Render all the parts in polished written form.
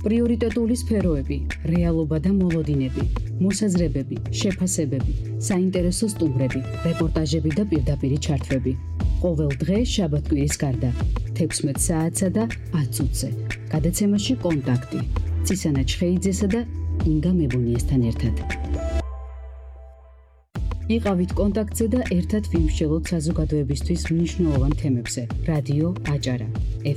პრიორიტეტული სფეროები, რეალობა და მოლოდინები, მოსაზრებები, შეფასებები, საინტერესო სტუმრები, რეპორტაჟები და პირდაპირი ჩართვები. ყოველ დღე შაბათ-კვირის გარდა 16 საათსა და 10 წუთზე. გადაცემაში კონტაქტი. ცისანა ჩხეიძესა და ინგა მებუნიესთან ერთად. იყავით კონტაქტზე და ერთად ვიმსჯელოთ საზოგადოებისთვის მნიშვნელოვან თემებზე. რადიო აჭარა,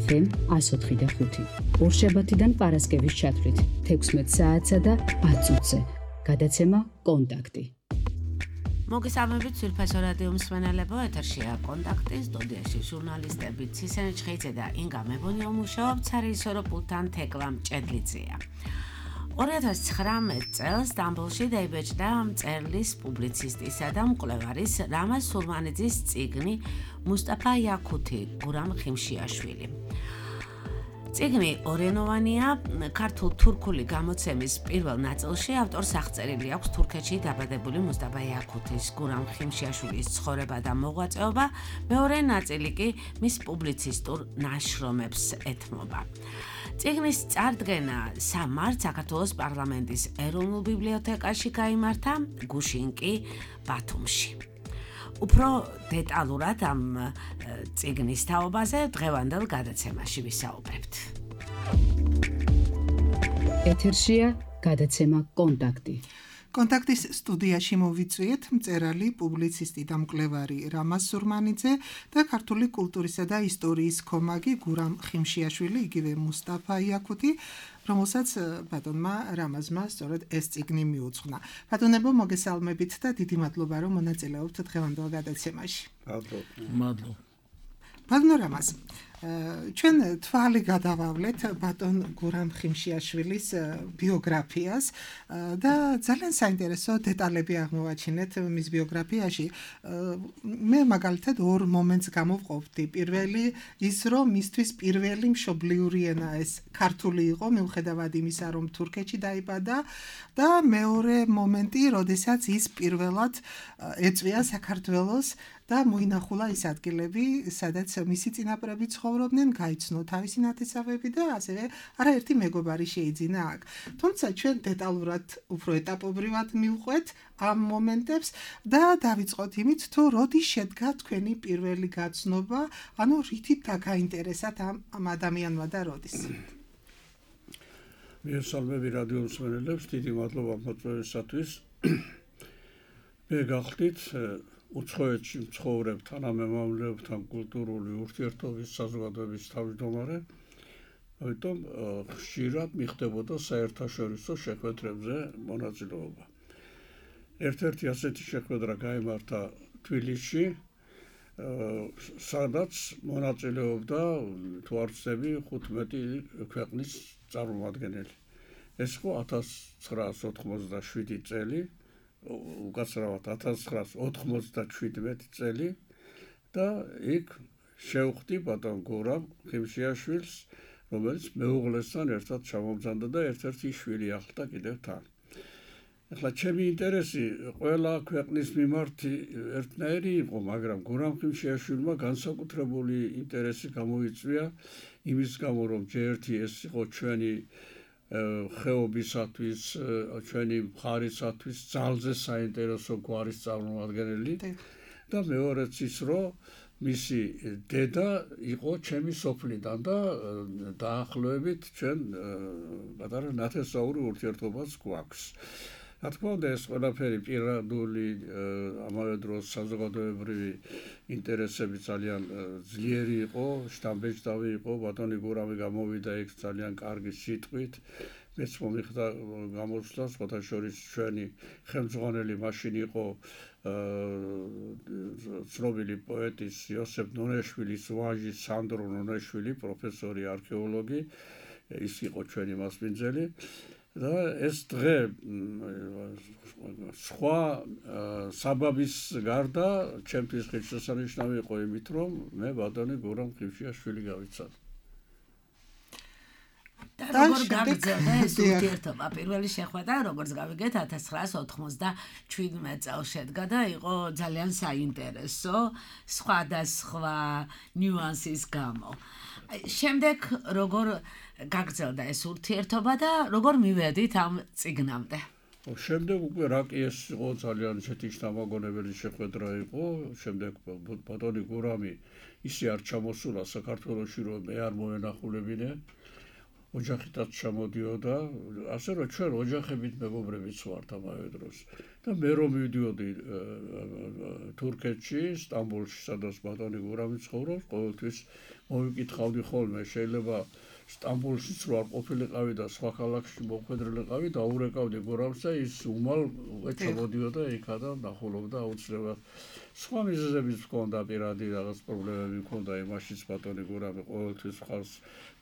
FM 104.5. ორშაბათიდან პარასკევის ჩათვლით 16 საათსა და 10 წუთზე. გადაცემა კონტაქტი. მოგესალმებით სულფასო რადიო მსმენელებო, ეთერშია კონტაქტი, სტუდიაში ჟურნალისტები ცისანა ჩხეიძე და ინგა მებუნია მუშაობთ, სარეჟისორო პულტთან თეკლა მჭედლიძეა. 2019 წელს სტამბოლში დაიბეჭდა მწერლის, პუბლიცისტისა და მკვლევარის რამაზ სურმანიძის წიგნი მუსტაფა იაკუთი გურამ ხიმშიაშვილი. წიგნი ორენოვანია, ქართულ-თურქული გამოცემის პირველ ნაწილში ავტორს აღწერილი აქვს თურქეთში დაბადებული მუსტაფა იაკუთის გურამ ხიმშიაშვილის ცხოვრება და მოღვაწეობა, მეორე ნაწილი კი მის პუბლიცისტურ ნაშრომებს ეთმობა. წიგნის წარდგენა 3 მარტს საქართველოს პარლამენტის ეროვნულ ბიბლიოთეკაში გაიმართა, გუშინ კი ბათუმში. უფრო დეტალურად ამ წიგნის თაობაზე დღევანდელ გადაცემაში ვისაუბრებთ. ეთერშია გადაცემა კონტაქტი. კონტაქტის სტუდიაში მოვიწვიეთ მწერალი, პუბლიცისტი და მკვლევარი რამაზ სურმანიძე და ქართული კულტურისა და ისტორიის ქომაგი გურამ ხიმშიაშვილი, იგივე მუსტაფა იაკუთი, რომელსაც ბატონმა რამაზმა სწორედ ეს წიგნი მიუძღვნა. ბატონებო, მოგესალმებით და დიდი მადლობა, რომ მონაწილეობთ დღევანდელ გადაცემაში. მადლობა. ბატონ რამაზ, ჩვენ თვალი გადავავლეთ ბატონ გურამ ხიმშიაშვილის ბიოგრაფიას და ძალიან საინტერესო დეტალები აღმოვაჩინეთ მის ბიოგრაფიაში. მე მაგალითად ორ მომენტს გამოვყოფდი. პირველი ის, რომ მისთვის პირველი მშობლიური ენა ეს ქართული იყო, მიუხედავად იმისა, რომ თურქეთში დაიბადა და მეორე მომენტი, როდესაც ის პირველად ეწვია საქართველოს და მოინახულა ის ადგილები, სადაც მისი წინაპრები ცხოვრობდნენ, გაიცნო თავისი ნათესავები და ასევე არაერთი მეგობარი შეიძინა აქ. თუმცა ჩვენ დეტალურად, უფრო ეტაპობრივად მივყვეთ ამ მომენტებს და დავიწყოთ იმით, თუ როდი შედგა თქვენი პირველი გაცნობა, ანუ რითით დაგაინტერესათ ამ ადამიანმა და როდის. მიესალმები რადიო მსმენელებს, დიდი მადლობა მოწვევისათვის. მე გახდით უცხოეთში მცხოვრებ თანამემამლებთან კულტურული ურთიერთობის საზოგადოების თავმჯდომარე, ამიტომ ხშირად მიხდებოდა საერთაშორისო შეხვედრებზე მონაწილეობა. ერთ-ერთი ასეთი შეხვედრა გაიმართა თბილისში, სადაც მონაწილეობდა თუ არ ვცდები 15 ქვეყნის წარმომადგენელი. ეს იყო 1997 წელი. უკაცრავად 1997 წელი და იქ შევხვდი ბატონ გურამ ხიმშიაშვილს, რომელიც მეუღლესთან ერთად ჩამომზადდა და ერთ-ერთი შვილი ახლდა კიდევ თან. ახლა ჩემი ინტერესი ყველა ქვეყნის მიმართ ერთნაირი იყო, მაგრამ გურამ ხიმშიაშვილმა განსაკუთრებული ინტერესი გამოიწვია იმის გამო, რომ ჯერ-ერთი ეს იყო ჩვენი ხეობისათვის, ჩვენი მხარისათვის ძალზე საინტერესო გვარის წარმომადგენელი და მეორეც ის, რომ მისი დედა იყო ჩემი სოფლიდან და დაახლოებით ჩვენ პატარა ნათესაური ურთიერთობაც გვაქვს. რა თქმა უნდა, ეს ყველაფერი პირადული, ამავე დროს საზოგადოებრივი ინტერესები ძალიან ძლიერი იყო, შთამბეჭდავი იყო, ბატონი გურამი გამოვიდა იქ ძალიან კარგი სიტყვით, მეც მომიხდა გამოსვლა, სხვათა შორის ჩვენი ხელმძღვანელი მაშინ იყო ცნობილი პოეტის იოსებ ნონეშვილის ვაჟი სანდრო ნონეშვილი, პროფესორი არქეოლოგი, ის იყო ჩვენი მასპინძელი. და ეს დღე სხვა საბაბის გარდა ჩემთვის ღირსშესანიშნავი იყო იმით, რომ მე ბატონი გურამ ხიმშიაშვილი გავიცადე. და როგორ გაგრძელდა ეს ურთიერთობა? პირველი შეხვედრა, როგორც გავიგეთ, 1997 წელს შედგა და იყო ძალიან საინტერესო სხვადასხვა ნიუანსის გამო. შემდეგ როგორ გაგრძელდა ეს ურთიერთობა და როგორ მივედით ამ წიგნამდე? შემდეგ უკვე რაკი ეს იყო ძალიან ისეთი შთამაგონებელი შეხვედრა იყო. შემდეგ ბატონი გურამი ისე არ ჩამოსულა საქართველოში, რომ მე არ მოენახულებინე. ოჯახითაც ჩამოდიოდა, ასე რომ ჩვენ ოჯახებით მეგობრებიც ვართ ამავე დროს. და მე რომ მივდიოდი თურქეთში, სტამბოლში, სადაც ბატონი გურამი ცხოვრობს, ყოველთვის მოვიკითხავდი ხოლმე, შეიძლება სტამბოლშიც რო არ ყოფილიყავი და სხვა ქალაქში მოხვედრილიყავი, დაურეკავდი გურამს და ის უმალ ჩამოდიოდა იქა და ნახულობდა აუცილებლად. სხვა მიზეზებიც ჰქონდა, პირადი რაღაც პრობლემები ჰქონდა, იმაშიც ბატონი გურამი ყოველთვის ხალხს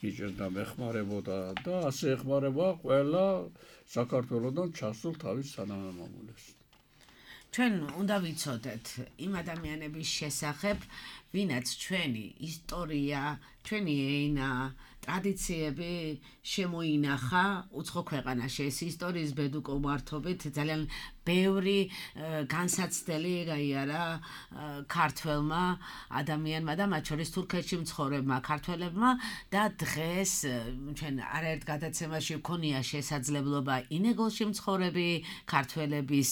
იჭერდა, მეხმარებოდა და ასე ეხმარება ყველა საქართველოსთან ჩასულ თავის თანამამულებს. ჩვენ უნდა ვიცოდეთ იმ ადამიანების შესახებ, ვინაც ჩვენი ისტორია, ჩვენი ენა, ტრადიციები შემოინახა უცხო ქვეყანაში. ეს ისტორიის ბედუკობართობით ძალიან ბევრი განსაცდელი გაიარა ქართველმა ადამიანმა და მათ შორის თურქეთში მცხოვრებმა ქართველებმა და დღეს ჩვენ არაერთ გადაცემაში ვქონია შესაძლებლობა ინეგოლში მცხოვრები ქართველების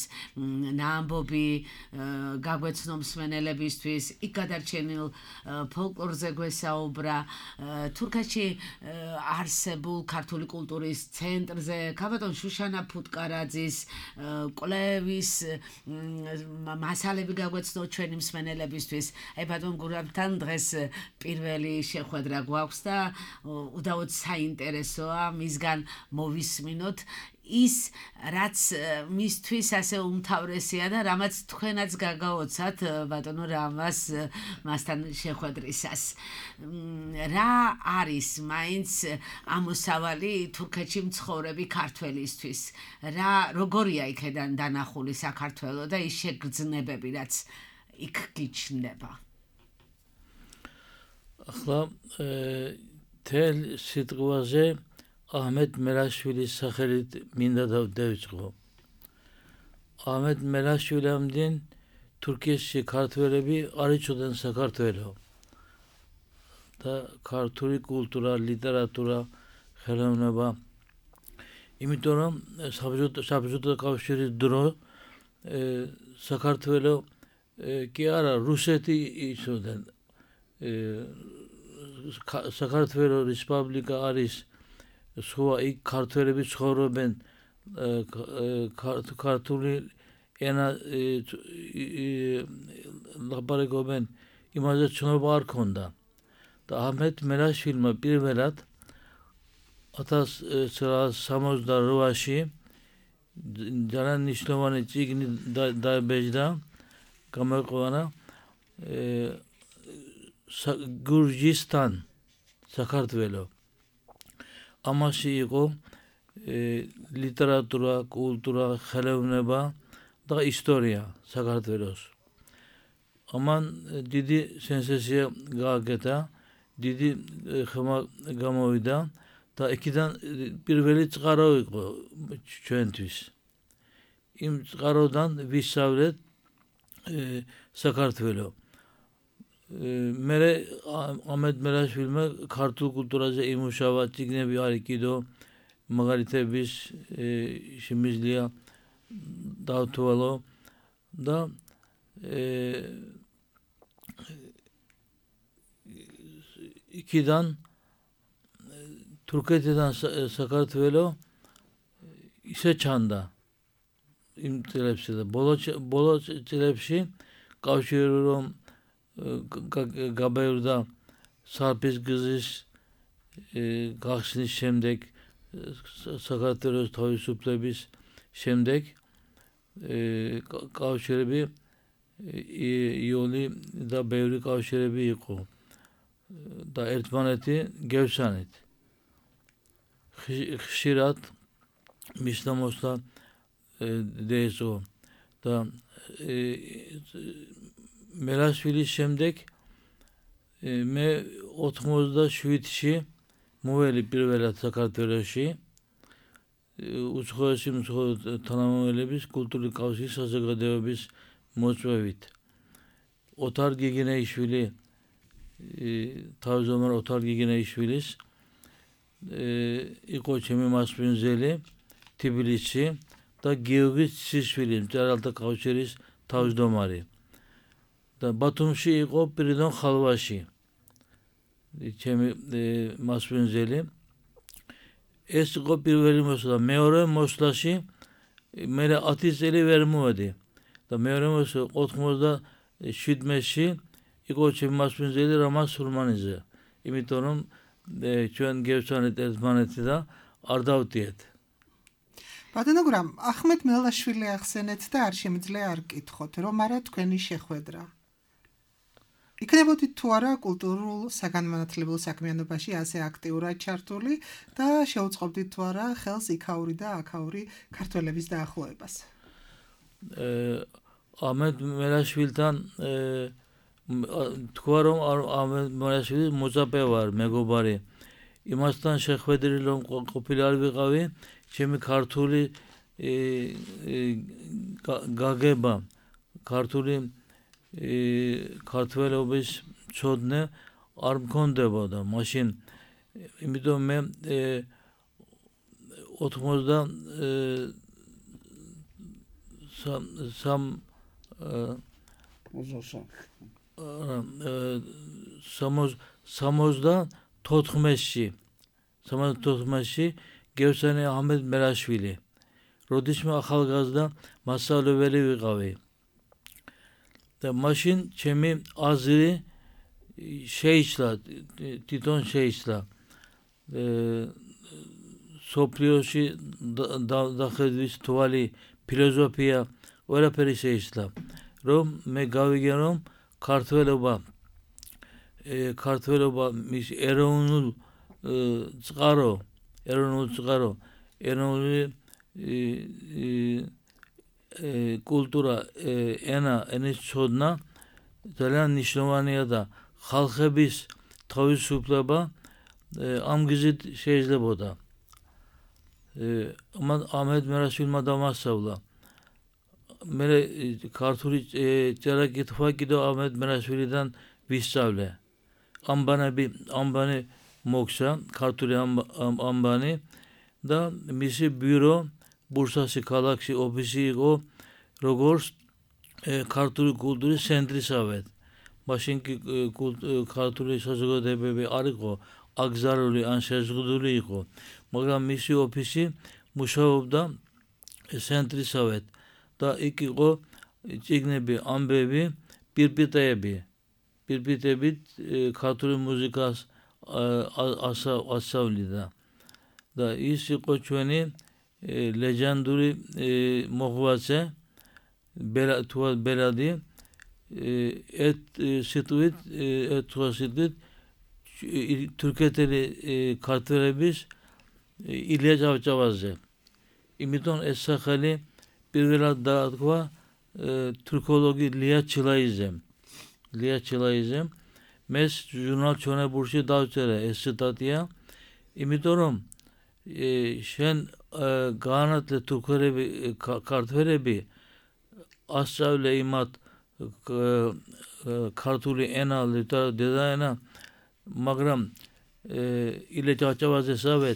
ნაამბობი გაგვეცნო მსმენელებისთვის, იქ გადარჩენილ ფოლკლორზე გვესაუბრა, თურქეთში არსებულ ქართული კულტურის ცენტრზე, ქალბატონ შუშანა ფუტკარაძის კვლევის მასალები გაგვეცნო ჩვენი მსმენელებისთვის. აი ბატონ გურამთან დღეს პირველი შეხვედრა გვაქვს და უდაოდ საინტერესოა მისგან მოვისმინოთ ის, რაც მისთვის ასე უმთავრესია და რამაც თქვენაც გაგაოცათ ბატონო რამას მასთან შეხვედრისას. რა არის მაინც ამოსავალი თურქეთში მცხოვრები ქართველისთვის? როგორია იქედან დანახული საქართველო და ის შეგრძნებები, რაც იქ გიჩნდება? ახლა თელ სიტყვაზე აჰმედ მერაშვილის სახელით მინდა დავიწყო. აჰმედ მერაშვილამდინ თურქეთში ქართველები არ იცოდნენ საქართველოს და ქართული კულტურა, ლიტერატურა, ხელოვნება. იმიტომ რომ საბჭოთა კავშირის დრო საქართველოს კი არა რუსეთი იცოდნენ. საქართველოს რესპუბლიკა არის სხვა იქ ქართველები ცხოვრობენ, ქართული ენა ლაპარაკობენ, იმაზე ცნობა არ ქონდა. და აჰმედ მერაშვილმა პირველად 1968-ში ძალიან მნიშვნელოვანი წიგნი დაიბეჭდა, გამოიყვანა გურჯისტან, საქართველო. ამაში იყო ლიტერატურა, კულტურა, ხელოვნება და ისტორია საქართველოს. ამან დიდი სენსაცია გააკეთა, დიდი ხმა გამოვიდა და იქიდან პირველი წყარო იყო ჩვენთვის. იმ წყაროდან ვისწავლეთ საქართველოს. მე აჰმედ მერაშვილმა ქართულ კულტურაზე იმუშავა, წიგნები არის კიდო, მაგალითების შემიძლია დავთვალო და იქიდან თურქეთიდან საქართველოს ისე ჩანდა იმ წლებში და ბოლო წლებში კავშირი რომ გაბევრდა სარფის გზის გახსნის შემდეგ, საქართველოს თავისუფლების შემდეგ კავშირები იული და ბევრი კავშირები იყო და ერთმანეთი გევსანით. ხშირად მისდამოსლა დაეწყო და მერაშვილის შემდეგ მე 87-ში მოველი პირველად საქართველოში უცხოესი თანამომავლობის კულტურული კავშირის საზოგადოების მოწვევით. ოთარ გიგინეიშვილი თავმჯდომარე ოთარ გიგინეიშვილის იყო ჩემი მასპინძელი თბილისში და გიორგი ცისშვილი მწერალთა კავშირის თავმჯდომარე და ბათუმში იყო პირდონ ხალვაში ჩემი მასპინძელი ეს იყო პირველი მოსვლა მეორე მოსვლაში მე 10 წელი ვერ მოვედი და მეორე მოსვლა 97-ში იყო ჩემი მასპინძელი რამაზ სულმანიძე იმიტომ რომ ჩვენ გევცანეთ ერთმანეთი და არ დავდიეთ ბატონო გურამ ახმედ მელაშვილი ახსენეთ და არ შემიძლია არ გკითხოთ რომ არა თქვენი შეხვედრა იქნებოდით თუ არა კულტურულ საგანმანათლებელ საქმიანობაში ასე აქტიურად ჩართული და შეუწყობდით თუ არა ხელს იქაური და აქაური ქართველების დაახლოებას ახმედ მელაშვილთან თქვა რომ ახმედ მელაშვილი მოწაფე ვარ მეგობარი იმასთან შეხვედრილი რომ ყოფილი არ ვიყავი ჩემი ქართული გაგება ქართული ქართველობის ცოდნე არ მქონდებოდა მაშინ იმიტომ მე 74-ში გევსანი ახმედ მელაშვილი როდის მე ახალგაზრდა მასწავლებელი ვიყავი და მაშინ ჩემი აზრი შეიცვალა თვითონ შეიცვალა სოფლიოში დახედვის თვალი ფილოსოფია ყველაფერი შეიცვალა რომ მე გავიგე რომ ქართველობა მის ეროვნულ წყარო ეროვნული კულტურა ენის ცოდნა ძალიან მნიშვნელოვანია და ხალხების თავისუფლება ამ გზით შეიძლებოდა ახმედ მელაშვილმა დამასწავლა მე ქართული წერა-კითხვა კიდევ ახმედ მელაშვილიდან ვისწავლე ამბანი მოგცა ქართული ამბანი და მისი ბიურო ბურსაში ქალაქში ოფისი იყო როგორც ქართული კულტურის ცენტრისავე მაშინ კი ქართული საზოგადოებები არ იყო აკრძალული ან შეზღუდული იყო მაგრამ მისი ოფისი მუშაობდა ცენტრისავე და იქ იყო წიგნები ამბები პირპიტებით ქართული მუსიკას ასწავლიდა და ის იყო ჩვენი ლეგენდური მოღვაწე ბელადი სიტყვით თურქეთელი ქართველების ილია ჭავჭავაძე იმიტომ ეს სახელი პირველად დაარქვა თურქოლოგი ლია ჩილაიზემ მეს ჟურნალ ჩონებურში დავწერე ეს ციტატია იმიტომ რომ შენ გაანათლე თურქები ქართველები ასწავლე იმათ ქართული ენა დედაენა მაგრამ ილია ჭავჭავაძესავე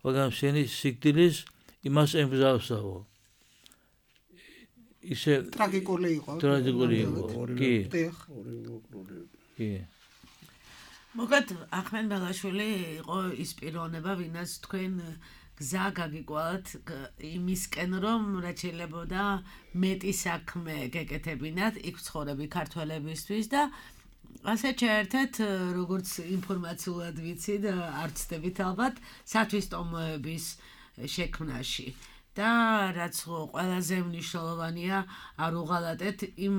მაგრამ შენი სიკვდილის იმას ემგზავრსაო ისე ტრაგიკული იყო კი მოგეთ ახმედ მელაშვილი იყო ის პიროვნება ვინაც თქვენ გზა გაგიკვალათ იმისკენ რომ რაც შეიძლებოდა მეტი საქმე გეკეთებინათ იქ ცხოვრები ქართველებისთვის და ასე ჩაერთეთ როგორც ინფორმაციულად ვიცით არ ცდებით ალბათ სათვისტომოების შექმნაში და რაც ყველაზე მნიშვნელოვანია არ უღალატეთ იმ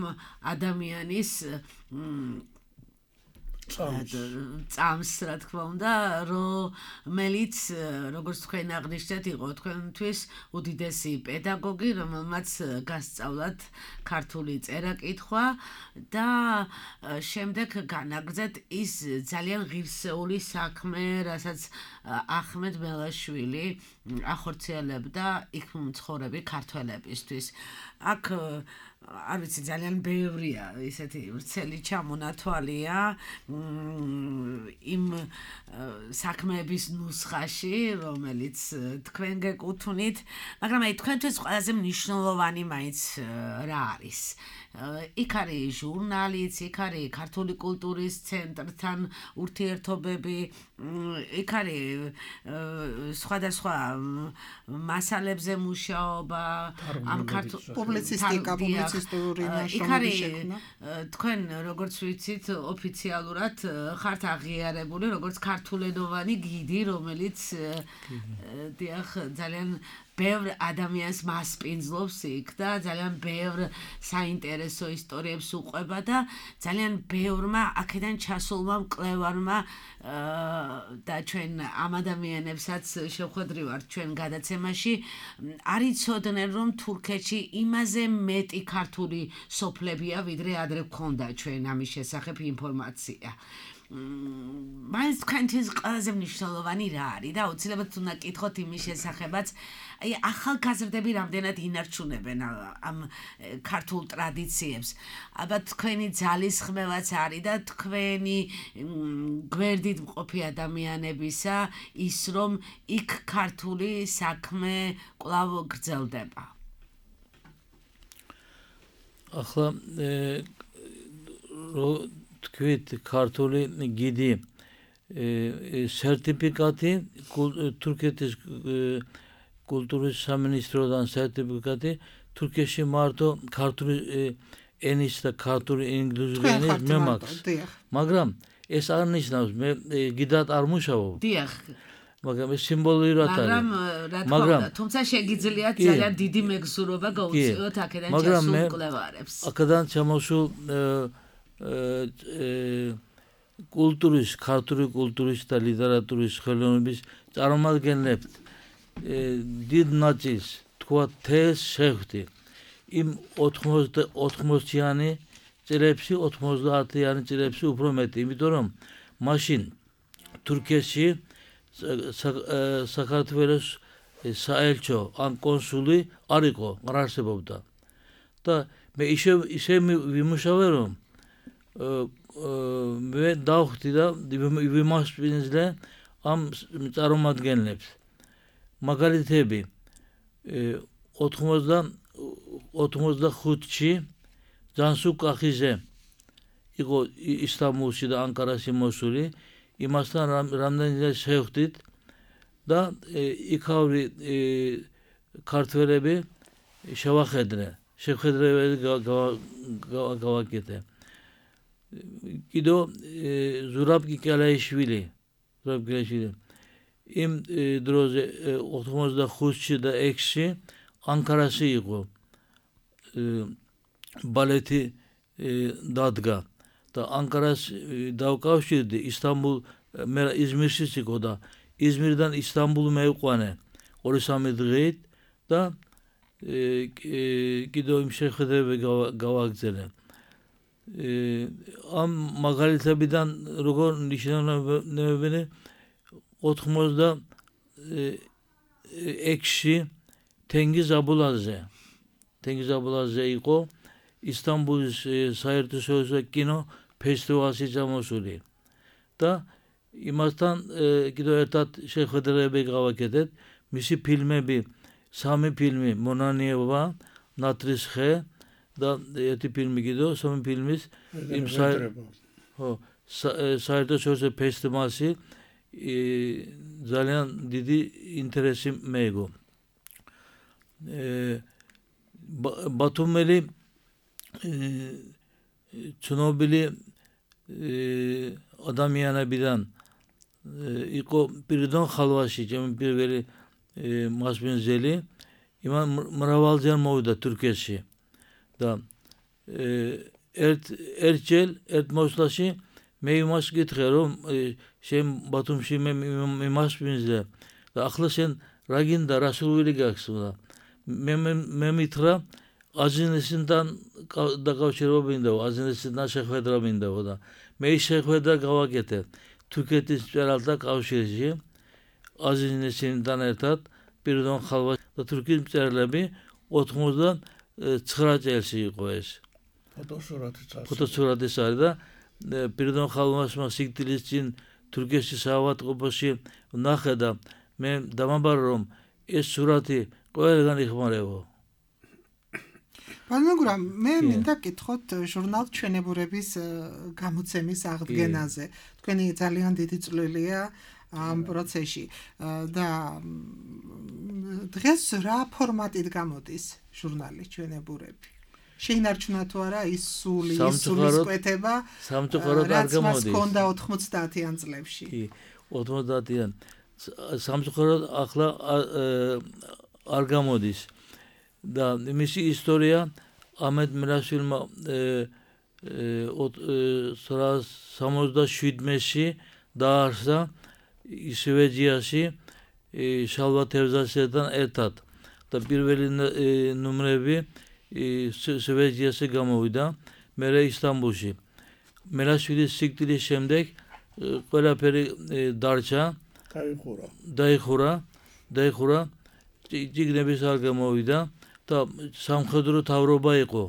ადამიანის წამს რა თქმა უნდა რომელიც როგორც თქვენ აღნიშნეთ იყო თქვენთვის უდიდესი პედაგოგი რომელმაც გასწავლათ ქართული წერა-კითხვა და შემდეგ განაგრძეთ ის ძალიან ღირსეული საქმე რასაც ახმედ მელაშვილი ახორციელებდა იქ მცხოვრები ქართველებისთვის აქ არ ვიცი ძალიან ბევრია ისეთი ვრცელი ჩამონათვალია იმ საქმეების ნუსხაში რომელიც თქვენ გეკუთვნით მაგრამ აი თქვენთვის ყველაზე მნიშვნელოვანი მაინც რა არის იქ არის ჟურნალიც იქ არის ქართული კულტურის ცენტრთან ურთიერთობები იქ არის სხვადასხვა მასალებზე მუშაობა ამ ქართულ პუბლიცისტური ნაშრომები შექმნა თქვენ როგორც ვიცით ოფიციალურად ხართ აღიარებული როგორც ქართულენოვანი გიდი რომელიც დიახ ძალიან ბევრ ადამიანს მასპინძლობს იქ და ძალიან ბევრ საინტერესო ისტორიებს უყვება და ძალიან ბევრმა აქედან ჩასულმა მკვლევარმა და ჩვენ ამ ადამიანებსაც შევხვედრივართ ჩვენ გადაცემაში არ იცოდნენ რომ თურქეთში იმაზე მეტი ქართული სოფლებია ვიდრე ადრე გქონდა ჩვენ ამის შესახებ ინფორმაცია მაინც თქვენთვის ყველაზე მნიშვნელოვანი რა არის და აუცილებლად უნდა კითხოთ იმის შესახებაც აი ახალგაზრდები რამდენად ინარჩუნებენ ამ ქართულ ტრადიციებს ალბათ თქვენი ძალისხმევაც არის და თქვენი გვერდით მყოფი ადამიანებისა ის რომ იქ ქართული საქმე კვლავ გრძელდება ახლა თქვით ქართული გიდი სერტიფიკატი თურქეთის კულტურის სამინისტროდან სერტიფიკატი თურქეთში მარტო ქართული ენის და ქართული ინგლისური ენის მე მაქვს მაგრამ ეს არ ნიშნავს მე გიდად არ მუშაობ დიახ მაგრამ ეს სიმბოლურად არის მაგრამ თუმცა შეგიძლიათ ძალიან დიდი მეგზურობა გაუწიოთ აქედან ჩასულ მკვლევარებს აქედან ჩამოსულ კულტურის ქართული კულტურის და ლიტერატურის ხელოვნების წარმომადგენლებს დიდ ნაწილს თქვა თეს შეხვდი იმ 80-იანი წლებში 90-იანი წლებში უფრო მეტი იმიტომ რომ მაშინ თურქეთში საქართველოს საელჩო ან კონსული არ იყო არ არსებობდა და მე ისე ვიმუშავე რომ მე დავხვდი და ვიმასპინძლე ამ წარმომადგენლებს მაგალითები 85-ში ჯანსუ კახიძე იყო ისტანბულში და ანკარაში მოსული იმასთან რამდენიმე შევხვდით და იქავრი ქართველები შეხვედრები გავაკეთე კიდო ზურაბ კიკალაიშვილი იმ დროზე 85-ში და 6-ში ანკარაში იყო ბალეტი დადგა და ანკარას დავკავშირდი ისტანბულ მე იზმირშიც იყო და იზმირიდან ისტანბულ მეუყვანე 2-3 დღით და კიდო იმ შეხვედრები გავაგრძელე ამ მაგალითებიდან როგორ ნიშნავენ 86-ში თენგიზ აბულაძე იყო ისტანბულის საერთაშორისო კინო ფესტივალში ჩამოსული და იმასთან კიდევ ერთად შეხვედრები გავაკეთეთ მისი ფილმები 3 ფილმი მონანიევა ნატრის ხე და ერთი ფილმი კიდევ 3 ფილმის იმ საერთაშორისო ფესტივალში ძალიან დიდი ინტერესი მეეგო ბათუმელი ცნობილი ადამიანებიდან იყო პირდონ ხალვაში ჩემი პირველი მასპინძელი იმან მრავალჯერ მოვიდა თურქეთში და ერთ მოსვლაში მე იმას გითხრე რომ შენ ბათუმში მე იმას ვინზე და ახლა შენ რა გინდა რა სურვილი გაქვს და მე მითხრა აზინესთან დაკავშირება მინდა აზინესთან შეხვედრა მინდა და მე ის შეხვედრა გავაკეთე თურქეთის მწერალთა კავშირში აზინესთან ერთად პირდონ ხალვა და თურქეთის მწერლები 99 წელს იყო ეს ფოტოსურათიც არის და პირდონ ხალვასმა სიკვდილის წინ თურქეთის საავადმყოფოში ვნახე და მე დამაბარა რომ ეს სურათი ყველგან იხმარებო მაგრამ მე მინდა გითხოთ ჟურნალ ჩვენებურების გამოცემის აღდგენაზე თქვენი ძალიან დიდი წვლილია ამ პროცესში და დღეს რა ფორმატით გამოდის ჟურნალი ჩვენებურები შეინარჩუნა თუ არა ის სულის კვეთება სამწუხაროდ არ გამოდის რაც მქონდა 90-იან წლებში 90-იან სამწუხაროდ ახლა არ გამოდის და მისი ისტორია ამედ მირაშვილმა 67-ში დაარსა სვედიაში შალვა თევზასთან ერთად და პირველი ნომრები სვედიაში გამოვიდა მერე ისტანბულში მირაშვილის სიკვდილის შემდეგ ყველაფერი დარჩა დაიხურა წიგნების არ გამოვიდა და სამხედრო თავრობა იყო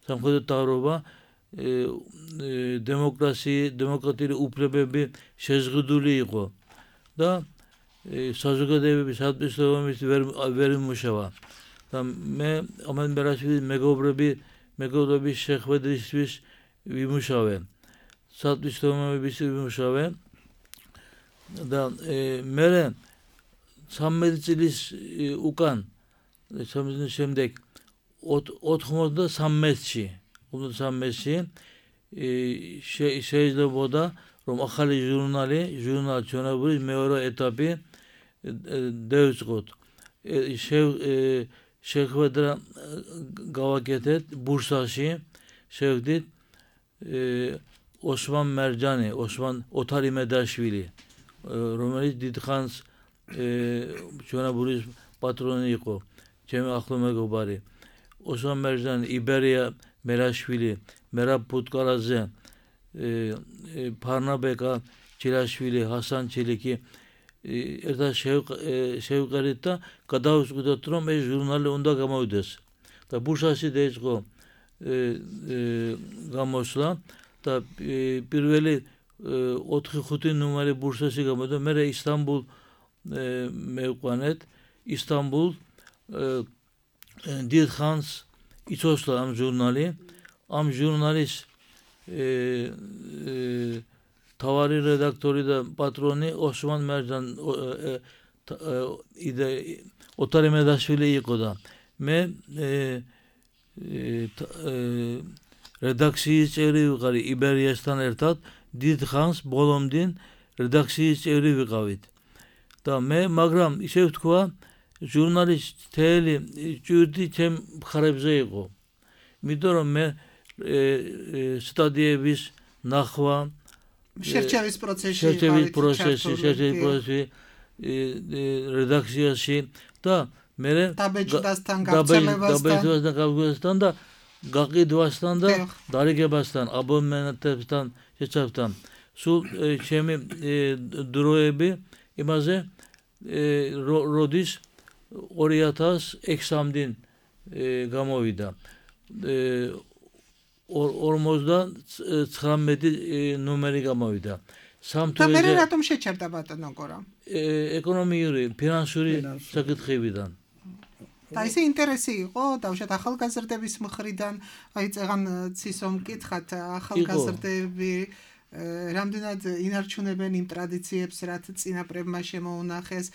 სამხედრო თავრობა დემოკრატიული უფლებები შეზღუდული იყო და საზოგადოების ადმინისტრაციების ვერ იმუშავა და მე ამან მერაშვილის მეგობრების შეხვედრისთვის ვიმუშავე სადმისლომების ვიმუშავე და მე 13 წლის უკან შემდეგ 93-ში შეიძლებოდა რომ ახალი ჟურნალ ჩვენებურის მეორე ეტაპი დავიწყოთ შეხვედრა გავაკეთეთ ბურსაში შევდით ოსმან მერჯანი ოთარ იმედაშვილი რომელიც დიდხანს ჩვენებურის პატრონი იყო ჩემი ახლო მეგობარი ოსმან მერჯანი იბერია მერაშვილი მერაბ პუტკარაძე ფარნაბეკა ჩილაშვილი ჰასან ჩილიკი ერთად შევყერით და გადავწყვიტეთ რომ ეს ჟურნალი უნდა გამოვიდეს და ბურსაში დაიწყო გამოსვლა და პირველი 4-5 ნომერი ბურსაში გამოვიდა მე ისტანბულ მევყვანეთ ისტანბულ დიდხანს იცოცხლა ამ ჟურნალის თავარი რედაქტორი და პატრონი ოსმან მერჯან ოთარ იმედაშვილი იყო და მე რედაქციის წევრი ვიყავი იბერიასთან ერთად დიდხანს ბოლომდე რედაქციის წევრი ვიყავით და მე მაგრამ ისე ვთქვა ჟურნალის თელი ჭირდი ჩემ მხარებზე იყო იმიტომ რომ მე სტადიების ნახვა შერჩევის პროცესში რედაქციაში და მე დაბეჭდასთან გავრცელებასთან და გაყიდვასთან და დარიგებასთან აბონემენტებთან შეცავთან სულ ჩემი დროები იმაზე როდის 2006-მდე გამოვიდა 59 ნომერი გამოვიდა და მე რატომ შეჩერდა ბატონო გორა ეკონომიური ფინანსური საკითხებიდან და ისე ინტერესი იყო დავშეთ ახალგაზრდების მხრიდან აი წეგან ცისომ მკითხათ ახალგაზრდები რამდენად ინარჩუნებენ იმ ტრადიციებს რაც წინაპრებმა შემოუნახეს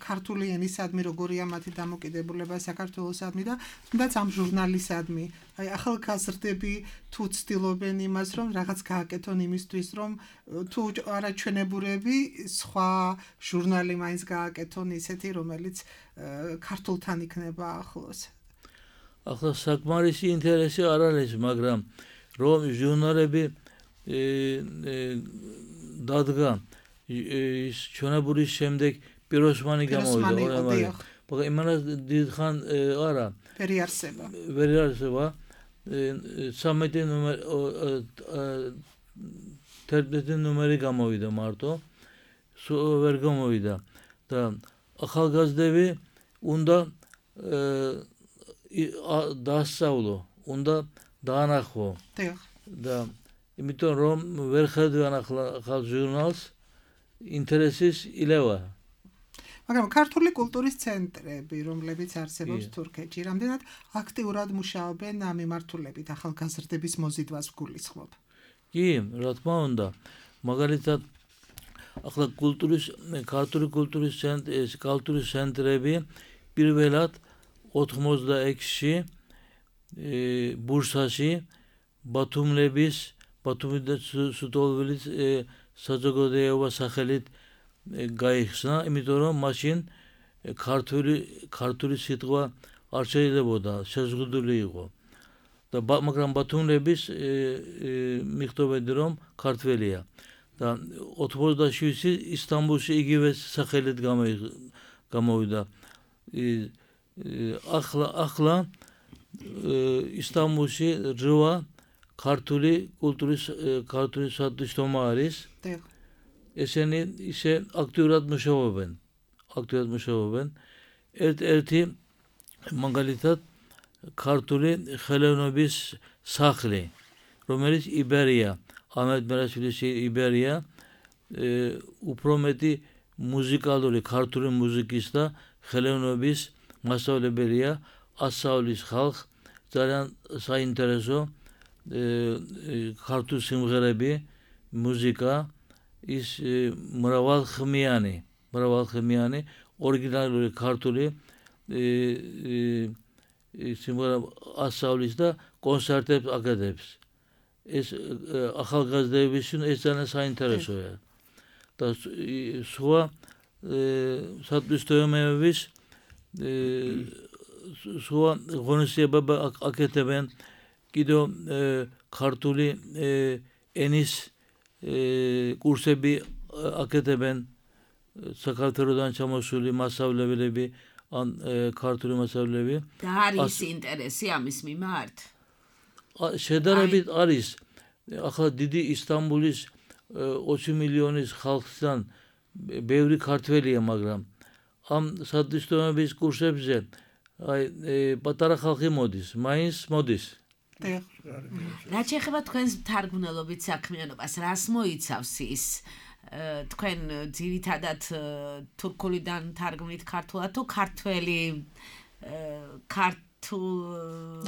ქართული ენისადმი როგორია მათი დამოკიდებულება საქართველოსადმი და თუნდაც ამ ჟურნალისადმი აი ახალგაზრდები თუ ცდილობენ იმას რომ რაღაც გააკეთონ იმისთვის რომ თუ არა ჩვენებურები სხვა ჟურნალი მაინც გააკეთონ ისეთი რომელიც ქართულთან იქნება ახლოს ახლა საკმარისი ინტერესი არ არის მაგრამ რომ ჟურნალები დადგა ის ჩვენებურის შემდეგ პიროსმანი გამოვიდა მაგრამ იმანაც დიდხან არა ვერ იარსება 13 ნომერი გამოვიდა მარტო ვერ გამოვიდა და ახალგაზრდები უნდა დაასწავლო უნდა დაანახო და იმიტომ რომ ვერ ხედავენ ახალ ჟურნალს ინტერესის ილევა მაგრამ ქართული კულტურის ცენტრები რომლებიც არსებობს თურქეთში რამდენად აქტიურად მუშაობენ ამ მიმართულებით ახალგაზრდების მოზიდვას გულისხმობ კი რა თქმა უნდა მაგალითად ახლა ქართული კულტურის ცენტრები პირველად 86-ში ბურსაში ბათუმის და სუტოლვილის საზოგადოება სახელით გაიხსნა, იმიტომ რომ მაშინ ქართული სიტყვა არ შეიძლებოდა, შეზღუდული იყო. და მაგრამ ბათუმლების მიხვდებოდი რომ ქართველია. და 87-ში ისტანბულში იგივე სახელით გამოვიდა. ახლა ისტანბულში რვა ქართული სათვისტომა არის. ესენი ისე აქტიურად მუშაობენ. ერთ-ერთი მაგალითად ქართული ხელოვნების სახლი, რომელიც იბერია, ამედ მერაშვილის იბერია, უფრო მეტი მუსიკალური ქართული მუსიკის და ხელოვნების მასწავლებელია, ასწავლის ხალხს, ძალიან საინტერესო ქართული სიმღერები, მუსიკა, ის მრავალხმიანი, ორიგინალური ქართული სიმღერა ასწავლის და კონცერტებს აკეთებს. ეს ახალგაზრდებისთვის ეს ძალიან საინტერესოა. და სხვა სათვისტომეების სხვა ღონისძიებები აკეთებენ კიდევ ქართული ენის კურსები აკეთებენ საქართველოდან ჩამოსული მასწავლებლები ან ქართული მასწავლებლები და არის ინტერესი ამის მიმართ შედარებით არის ახლა დიდი ისტანბულის 20 მილიონის ხალხთან ბევრი ქართველია მაგრამ ამ სათვისტომების კურსებზე პატარა ხალხი მოდის მაინც მოდის რაც ეხება თქვენს თარგმნელობით საქმიანობას რას მოიცავს ის თქვენ ძირითადად თურქულიდან თარგმნით ქართულად თუ ქართველი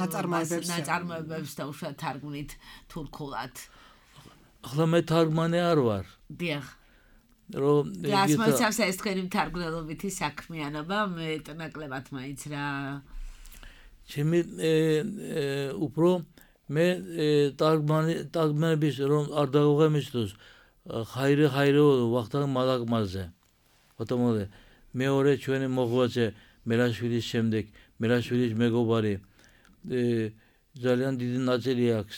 ნაწარმოებებს და უშუალოდ თარგმნით თურქულად ახლა მე თარგმანი არ ვარ დიახ რომ რას მოიცავს ეს თქვენი თარგმნელობითი საქმიანობა მე ნაკლებად მაინც რა ჩემი უფრო მე თარგმანების რომ არ დაუღემისთოს ხაირე ვახტანგ მალაკმაზე ბატონო მეორე ჩვენი მოღვაწე მერაშვილის შემდეგ მერაშვილის მეგობარი ძალიან დიდი ნაწილი აქვს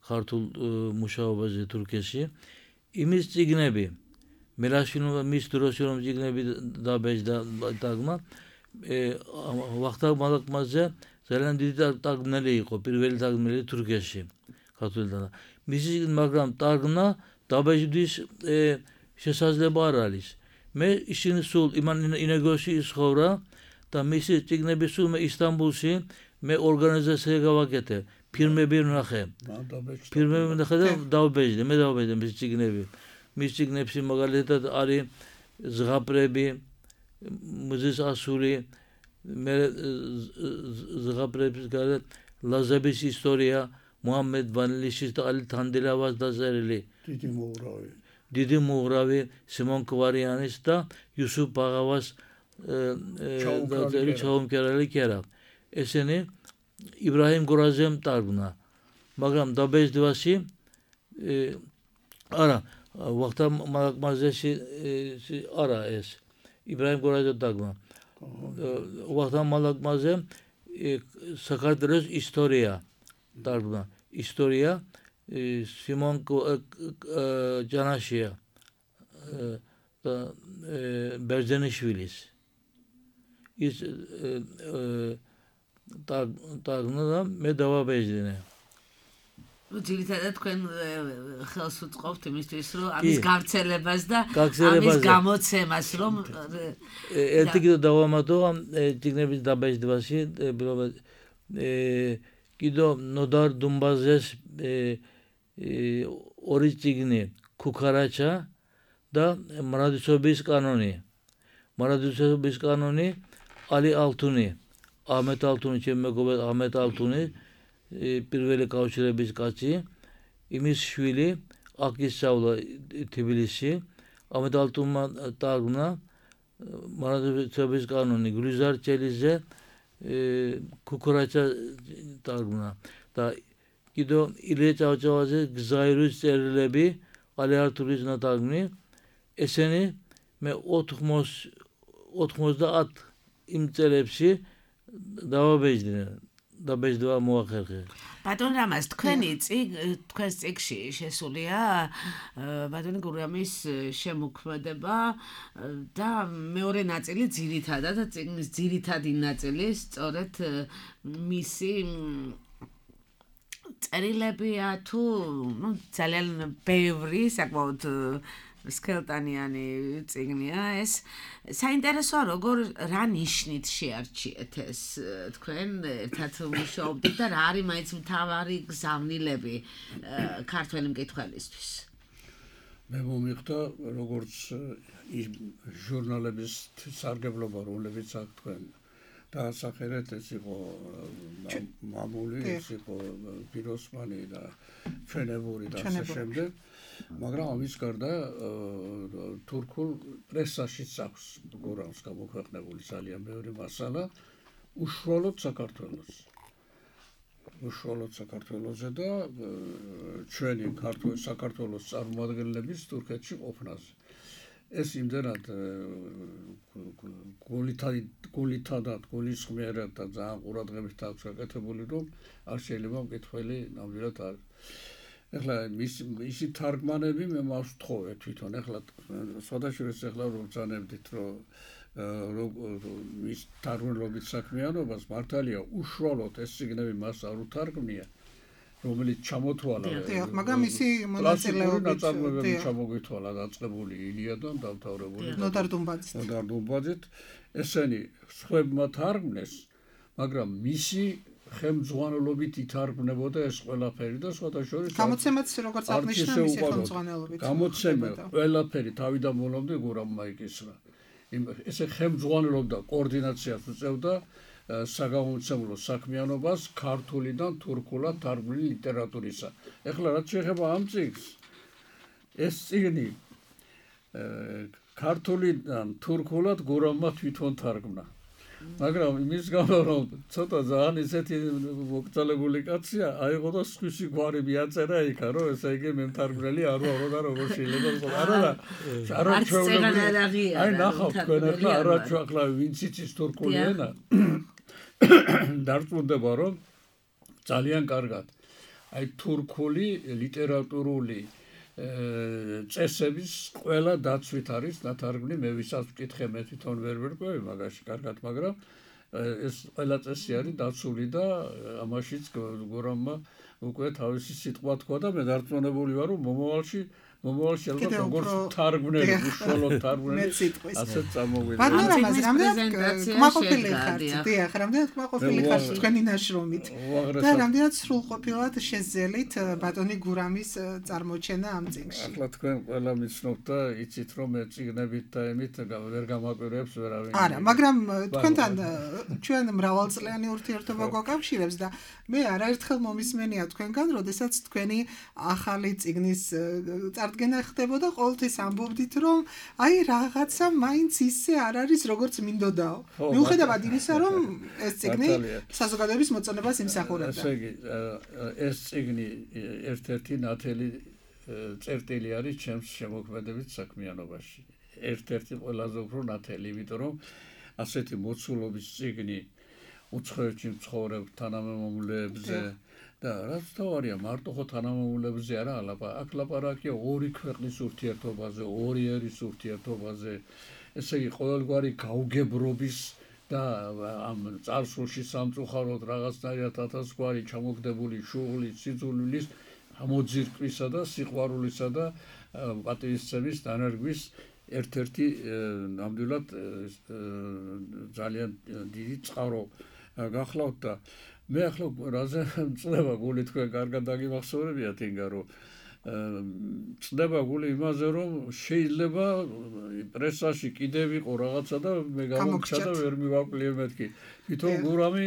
ქართულ მუშაობაზე თურქეთში იმის წიგნები მერაშვილმა მის დროში რომ წიგნები დაბეჭდა თარგმნა ვახტანგ მალაკმაზე ძალიან დიდი თარგმნელი იყო პირველი თარგმნელი თურქეთში ქართულიდან მისი მაგრამ თარგმნა დაბეჭდის შესაძლებლობა არ არის მე ისინი სულ ინეგოში ისხოვრა და მისი წიგნები სულ მე ისტანბულში მე ორგანიზაცია გავაკეთე ფილმები ვნახე და დავბეჭდე მის წიგნები მის წიგნებში მაგალითად არის ზღაპრები მუზის ასური მე ზღაპრების გარეთ ლაზების ისტორია მოჰამედ ვანილიშის და ალი თანდელავას დაწერილი დიდი მოურავი სიმონ კვარიანის და იუსუფ ბაღავას დაწერილი ჩაუმკერალი კერა ესენი იბრაჰიმ გორაზემ თარგმნა მაგრამ დაბეჭდვაში არა ვახტანგ მალაკმაზეში არა ეს იბრაჰიმ გორაზემ თარგმნა ვახტანგ მალაკმაზე საქართველოს ისტორია თარგმნა ისტორია სიმონ ჯანაშია და ბერძენიშვილის ის დაგნა და მე დავაბეჭდინე. ძირითადად თქვენ ხელს უწყობთ იმისთვის, რომ ამის გავრცელებას და ამის გამოცემას, რომ ერთი კიდევ დავამატო ამ წიგნების დაბეჭდვაში, კიდევ ნოდარ დუმბაძეს ორი წიგნი ქუქარაჩა და მარადისობის კანონი. მარადისობის კანონი ალი ალთუნი, აჰმედ ალთუნი, ჩემი მეგობარი აჰმედ ალთუნი, პირველი კავშირების კაცი, იმის შვილი, აქ ისწავლა თბილისში, აჰმედ ალთუნმა დაგნა მარადისობის კანონი, გულიზარ ჩელიძე ქუქურაჩა დაგნა და კიდევ ილია ჭავჭავაძე გზაირის წერილები, ალი ართურის ნათარგმნი, ესენი მე 90 იმ წერილებში დაბეჭდვა მოახერხე. ბატონ რამაზ, თქვენს წიგნში შესულია ბატონი გურამის შემოქმედება და მეორე ნაწილი ძირითადად და წიგნის ძირითადი ნაწილი სწორედ მისი წერილებია თუ ძალიან ბევრი საკმაოდ სქელტანიანი წიგნია ეს. საინტერესოა როგორ რა ნიშნით შეარჩიეთ ეს თქვენ ერთად მუშაობდით და რა არის მაინც მთავარი გზავნილები ქართველი მკითხველისთვის? მე მომიხდა როგორც ჟურნალების სარგებლობა, რომლებიც აქ თქვენ დაასახელეთ, ეს იყო მამული, ეს იყო პიროსმანი და ჩვენებური და ასე შემდეგ. მაგრამ ამის გარდა თურქულ პრესაშიც აქვს გურამს გამოქვეყნებული ძალიან ბევრი მასალა უშუალოდ საქართველოზე და ჩვენი საქართველოს წარმომადგენლების თურქეთში ყოფნაზე. ეს იმდენად გულისხმიერად და ძალიან ყურადღებით აქვს გაკეთებული, რომ არ შეიძლება მკითხველი ნამდვილად არ. ეხლა მისი თარგმანები მე მას ვთხოვე თვითონ. ეხლა სხვადასხვა ეხლა რომ ბრძანებდით, რომ მის თარგმნილობით საქმიანობას მართალია უშუალოდ ეს წიგნები მას არ უთარგმნია, რომელიც ჩამოთვალა. მაგრამ ისი მონაწილეობით ნაწარმოებები ჩამოგითვალა დაწყებული ილიადამ დამთავრებული ნოდარ დუმბაძით. ესენი სხვებმა თარგმნეს, მაგრამ მისი ხელმძღვანელობით ითარგმნებოდა ეს ყველაფერი და სხვადასხვა გამოცემაც როგორც აღნიშნა მისი ხელმძღვანელობით. გამოცემა ყველაფერი თავიდან ბოლომდე გურამმა იკისრა. ესე ხელმძღვანელობდა კოორდინაციას უწევდა საგამომცემლო საქმიანობას ქართულიდან თურქულად თარგმნილი ლიტერატურისა. ეხლა რაც შეეხება ამ წიგნს, ეს წიგნი ქართულიდან თურქულად გურამმა თვითონ თარგმნა. მაგრამ იმის გამო რომ ცოტა ძალიან ისეთი მოკრძალებული კაცია, აიღო და სხვისი გვარი მიაწერა იქა, რომ ესე იგი მე მთარგმნელი არ ვარო და როგორ შეიძლება არა ჩვეულებრივი. აი ნახავთ თქვენ ახლა ახლა ვინც იცის თურქული ენა დარწმუნდება რომ ძალიან კარგად აი თურქული ლიტერატურული წესების ყველა დაცვით არის ნათარგმნი. მე ვისაც ვკითხე, მე თვითონ ვერ ვერკვევი მაგაში კარგად, მაგრამ ეს ყველა წესი არის დაცული და ამაშიც გურამმა უკვე თავისი სიტყვა თქვა და მე დარწმუნებული ვარ, რომ მომავალში ალბათ როგორც თარგმნელი, უშუალოდ თარგმნელი ასეც წარმოგვიდგება. ბატონო რამაზ, რამდენად კმაყოფილი ხართ? დიახ, რამდენად კმაყოფილი ხართ თქვენი ნაშრომით? და რამდენად სრულყოფილად შეძელით ბატონი გურამის წარმოჩენა ამ წიგნში? ახლა თქვენ ყველა მიცნობთ და იცით რომ მე წიგნებით და ემით ვერ გამაკვირვებს ვერავინ. არა, მაგრამ თქვენთან ჩვენ მრავალწლიანი ურთიერთობა გვაკავშირებს და მე არაერთხელ მომისმენია თქვენგან, როდესაც თქვენი ახალი წიგნის წარდგენა ხდებოდა, ყოველთვის ამბობდით, რომ აი რაღაცა მაინც ისე არ არის, როგორც მინდოდაო. მიუხედავად იმისა, რომ ეს წიგნი საზოგადოების მოწონებას იმსახურებდა. ესე იგი, ეს წიგნი ერთ-ერთი ნათელი წერტილი არის ჩემს შემოქმედებით საქმიანობაში. ერთ-ერთი ყველაზე უფრო ნათელი, იმიტომ რომ ასეთი მოცულობის წიგნი უცხოეთში მცხოვრებ თანამემამულეებზე და რაც თავარია მარტო ხო თანამამულებზე არა აქ ლაპარაკია ორი ქვეყნის ურთიერთობაზე, ორი ერის ურთიერთობაზე, ესე იგი ყოველგვარი გაუგებრობის და ამ წარსულში სამწუხაროდ რაღაცნაირად ათასგვარი ჩამოგდებული შუღლის, სიძულვილის, ამოძირკვისა და სიყვარულისა და პატივისცემის დანერგვის ერთ-ერთი ნამდვილად ძალიან დიდი წყარო გახლავთ და მე ახლა რაზე წდება გული თქვენ კარგად დაგიმახსოვრებიათ ინგა რომ წდება გული იმაზე რომ შეიძლება პრესაში კიდევ იყო რაღაცა და მე გამოგჩა და ვერ მივაკლია მეთქი თვითონ გურამი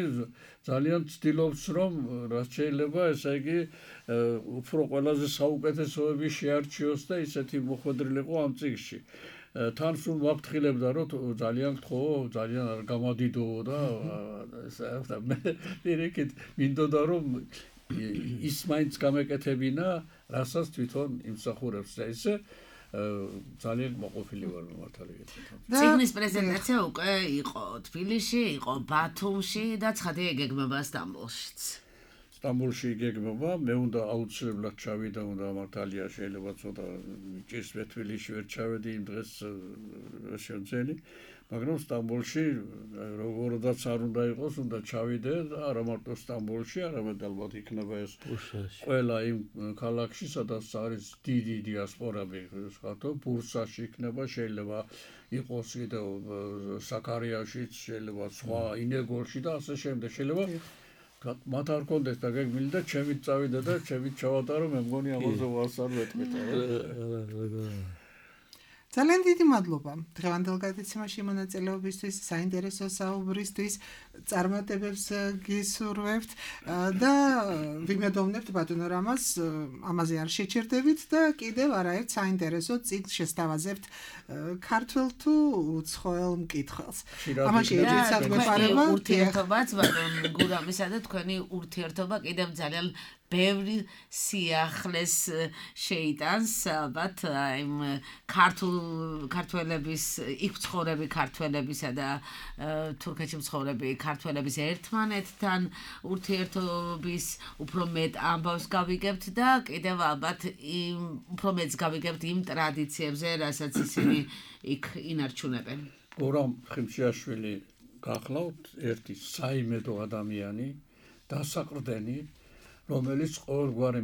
ძალიან ცდილობს რომ რაც შეიძლება ესე იგი უფრო ყველაზე საუკეთესოები შეარჩიოს და ისეთი მოხვედრილიყო ამ წიგნში თან სულ ვაფრთხილებდა რომ ძალიან გთხოვ ძალიან არ გამადიდო და ესა მე პირიქით მინდოდა რომ ის მაინც გამეკეთებინა რასაც თვითონ იმსახურებს და ესე ძალიან მოყოფილი ვარ მართალი გითხრათ. წიგნის პრეზენტაცია უკვე იყო თბილისში, იყო ბათუმში და ცხადია იგეგმება სტამბოლშიც. სტამბოლში იგეგმება, მე უნდა აუცილებლად ჩავიდე, უნდა მართალია შეიძლება ცოტა ჭირს თბილისში ვერ ჩავედი იმ დღეს შეძენი, მაგრამ სტამბოლში როგორაც არ უნდა იყოს, უნდა ჩავიდე და არა მარტო სტამბოლში, არამედ ალბათ იქნება ეს ყველა იმ ქალაქში, სადაც არის დიდი დიასპორები, ხათო ბურსაში იქნება, შეიძლება იყოს კიდევ საკარიაშიც, შეიძლება სხვა ინეგოლში და ასე შემდეგ, შეიძლება მათ არ კონდეს და გეგმილი და ჩემით წავიდე და ჩემით ჩავატარო, მე მგონი ამაზე ვარს არ ვეთქვით. ძალიან დიდი მადლობა დღევანდელ გადაცემაში მონაწილეობისთვის, საინტერესო საუბრისთვის, წარმატებებს გისურვებთ და ვიმედოვნებთ ბატონო რამას, ამაზე არ შეჩერდებით და კიდევ არაერთ საინტერესო წიგნს შესთავაზებთ ქართველ თუ უცხოელ მკითხველს. ამაში ეჭვიცად გვეპარება ურთიერთობაც ბატონ გურამისა და თქვენი ურთიერთობა კიდევ ძალიან ბევრი სიახლეს შეიტანს ალბათ იმ ქართველების იქ მცხოვრები ქართველებისა და თურქეთში მცხოვრები ქართველების ერთმანეთთან ურთიერთობის უფრო მეტ ამბავს გავიგებთ და კიდევ ალბათ უფრო მეტს გავიგებთ იმ ტრადიციებზე, რასაც ისინი იქ ინარჩუნებენ. გურამ ხიმშიაშვილი გახლავთ ერთი საიმედო ადამიანი, დასაყრდენი რომელიც ყოველგვარი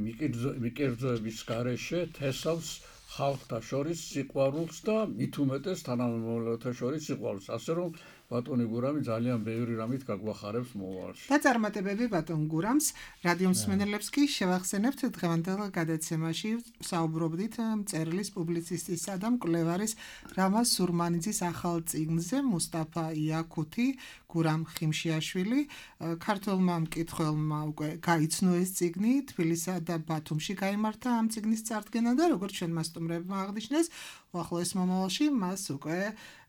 მიკერძოების გარეშე თესავს ხალხთა შორის სიყვარულს და მით უმეტეს თანამემამულეთა შორის სიყვარულს. ასე რომ ბატონი გურამი ძალიან ბევრი რამით გაგვახარებს მოვალში. და წარმატებები ბატონ გურამს, რადიო მსმენელებს კი შევახსენებთ დღევანდელ გადაცემაში საუბრობდით მწერლის, პუბლიცისტისა და მკვლევარის რამაზ სურმანიძის ახალ წიგნზე მუსტაფა იაკუთი, გურამ ხიმშიაშვილი, ქართველმა მკითხველმა უკვე გაიცნო ეს წიგნი, თბილისსა და ბათუმში გაიმართა ამ წიგნის წარდგენა და როგორც ჩვენ მასტუმრებმა აღნიშნეს, უახლოეს მომავალში მას უკვე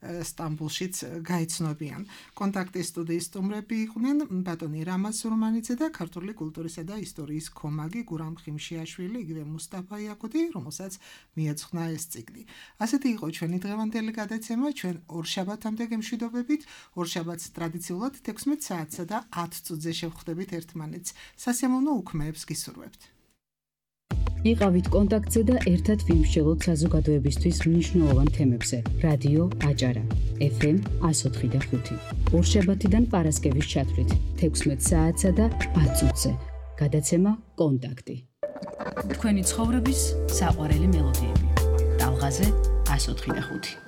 სტამბოლშიც გაიცნობიან. კონტაქტის სტუდიის სტუმრები იყვნენ ბატონი რამაზ სურმანიძე და ქართული კულტურისა და ისტორიის კომაგი გურამ ხიმშიაშვილი, იგივე მუსტაფა იაკუთი, რომელსაც მიეძღვნა ეს წიგნი. ასეთი იყო ჩვენი დღევანდელი გადაცემა, ჩვენ ორშაბათამდე გემშვიდობებით, ორშაბათს ტრადიციულად 16 საათსა და 10 წუთზე შევხვდებით ერთმანეთს. სასიამოვნო უქმეებს გისურვებთ. იყავით კონტაქტზე და ერთად ვიმსჯელოთ საზოგადოებისთვის მნიშვნელოვან თემებზე. რადიო აჭარა, FM 104.5. ორშაბათიდან პარასკევის ჩათვლით 16 საათსა და 10 წუთზე. გადაცემა კონტაქტი. თქვენი ცხოვრების საყვარელი მელოდიები. ტალღაზე 104.5.